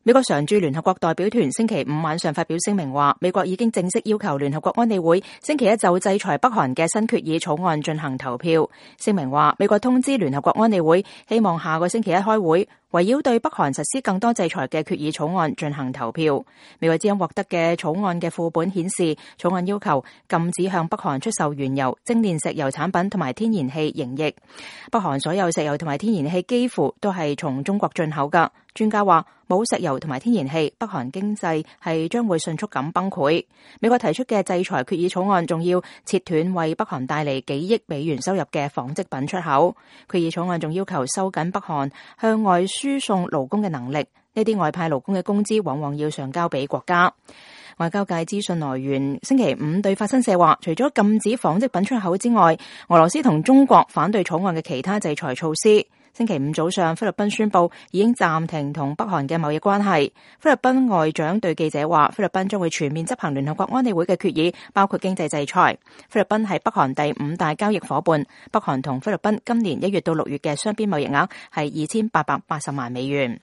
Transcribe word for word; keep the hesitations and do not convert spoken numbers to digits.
美國常駐聯合國代表團星期五晚上發表聲明話，美國已經正式要求聯合國安理會星期一就制裁北韓嘅新決議草案進行投票。聲明話，美國通知聯合國安理會，希望下個星期一開會，圍繞對北韓實施更多制裁嘅決議草案進行投票。美國之音獲得嘅草案嘅副本顯示，草案要求禁止向北韓出售原油、精煉石油產品同埋天然氣溶液。北韓所有石油同埋天然氣幾乎都係從中國進口㗎。專家話，冇石油同埋天然氣，北韓經濟係將會迅速咁崩潰。美國提出嘅制裁決議草案仲要切斷為北韓帶嚟幾億美元收入嘅紡織品出口。決議草案仲要求收緊北韓向外輸送勞工嘅能力，呢啲外派勞工嘅工資往往要上交俾國家。外交界資訊來源星期五對法新社話，除咗禁止紡織品出口之外，俄羅斯同中國反對草案嘅其他制裁措施。星期五早上，菲律賓宣布已經暫停同北韓嘅貿易關係。菲律賓外長對記者話，菲律賓將會全面執行聯合國安理會嘅決議，包括經濟制裁。菲律賓係北韓第五大交易夥伴，北韓同菲律賓今年一月到六月嘅雙邊貿易額係二千八百八十萬美元。